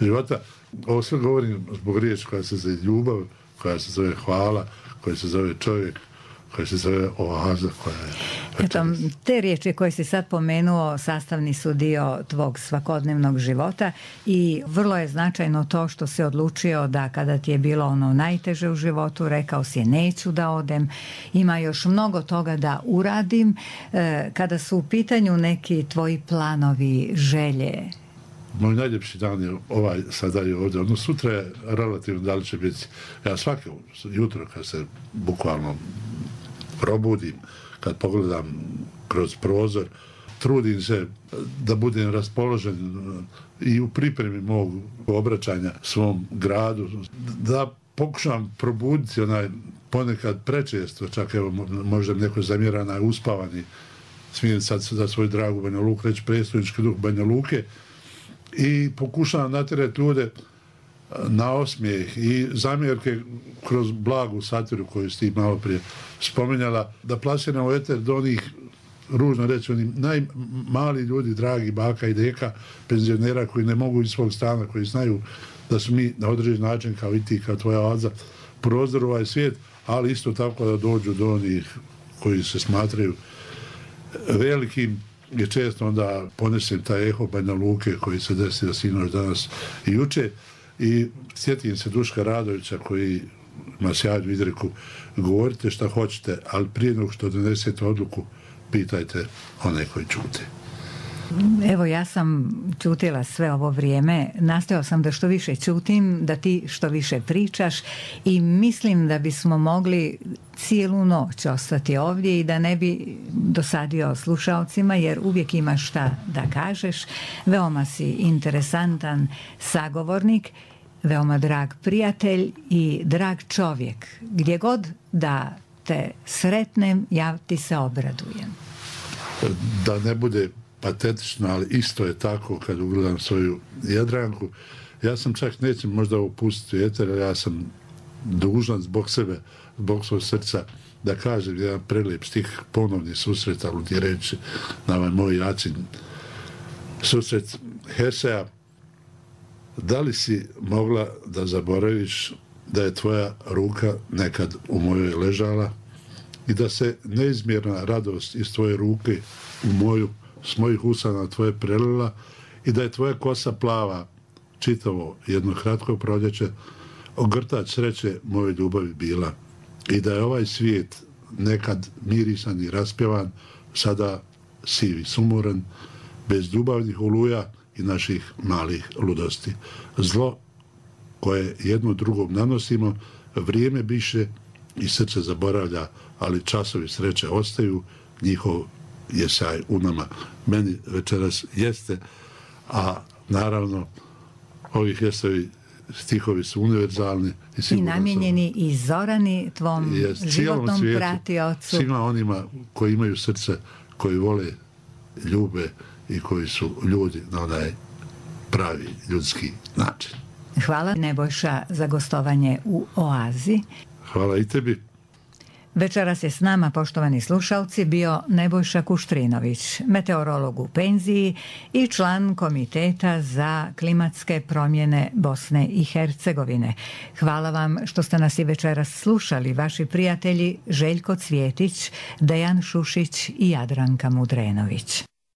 života. Ovo sve govorim zbog riječi koja se zove ljubav, koja se zove hvala, koja se zove čovjek, koja se zove oaza, koja je... Eto, te riječi koje si sad pomenuo sastavni su dio tvog svakodnevnog života i vrlo je značajno to što si odlučio da kada ti je bilo ono najteže u životu, rekao si neću da odem, ima još mnogo toga da uradim. Kada su u pitanju neki tvoji planovi, želje? Moj najljepši dan je ovaj sada je ovdje. Ono sutra je relativno da li će biti. Ja svake jutro kad se bukvalno probudim, kad pogledam kroz prozor, trudim se da budem raspoložen i u pripremi mog obraćanja svom gradu, da pokušam probuditi onaj ponekad prečesto, čak evo možda neko zamjera uspavani, smijem sad za svoju dragu Banja Luku reći predstavnički duh Banja Luke, i pokušavam natjerati ljude na osmijeh i zamjerke kroz blagu satiru koju si ti malo prije spomenjala, da plasiram u eter do onih, ružno reći, onih najmali ljudi, dragi baka i deka, penzionera koji ne mogu iz svog stana, koji znaju da su mi na određen način, kao i ti, kao tvoja oaza, prozor ovaj svijet, ali isto tako da dođu do onih koji se smatraju velikim, je često onda ponesem taj eho Banja Luke koji se desio sinoć, danas i juče, i sjetim se Duška Radovića koji ima sjajnu izreku: govorite šta hoćete, ali prije nego što donesete odluku, pitajte one koji čute. Evo, ja sam čutila sve ovo vrijeme, nastojao sam da što više čutim, da ti što više pričaš i mislim da bismo mogli cijelu noć ostati ovdje i da ne bi dosadio slušalcima, jer uvijek imaš šta da kažeš. Veoma si interesantan sagovornik, veoma drag prijatelj i drag čovjek. Gdje god da te sretnem, ja ti se obradujem. Da ne bude patetično, ali isto je tako kad ugledam svoju Jadranku. Ja sam čak, nećem možda opustiti eter, ja sam dužan zbog sebe, zbog svog srca, da kažem jedan prelep stih, ponovni susret, aludirajući na ovaj moj način susret Hesea. Da li si mogla da zaboraviš da je tvoja ruka nekad u mojoj ležala i da se neizmjerna radost iz tvoje ruke u moju, s mojih usana tvoje prelila i da je tvoja kosa plava čitavo jedno kratko proljeće ogrtač sreće moje ljubavi bila i da je ovaj svijet nekad mirisan i raspjevan, sada sivi, sumoran, bez ljubavnih oluja i naših malih ludosti. Zlo koje jedno drugom nanosimo, vrijeme biše i srce zaboravlja, ali časovi sreće ostaju, njihov je sjaj u nama. Meni večeras jeste, a naravno ovi Heseovi stihovi su univerzalni i namijenjeni i Zorani, tvom životnom pratiocu. Svima onima koji imaju srce, koji vole, ljube i koji su ljudi na onaj pravi ljudski način. Hvala Nebojša za gostovanje u Oazi. Hvala i tebi. Večeras je s nama, poštovani slušalci, bio Nebojša Kuštrinović, meteorolog u penziji i član Komiteta za klimatske promjene Bosne i Hercegovine. Hvala vam što ste nas i večeras slušali, vaši prijatelji Željko Cvjetić, Dejan Šušić i Jadranka Mudrenović.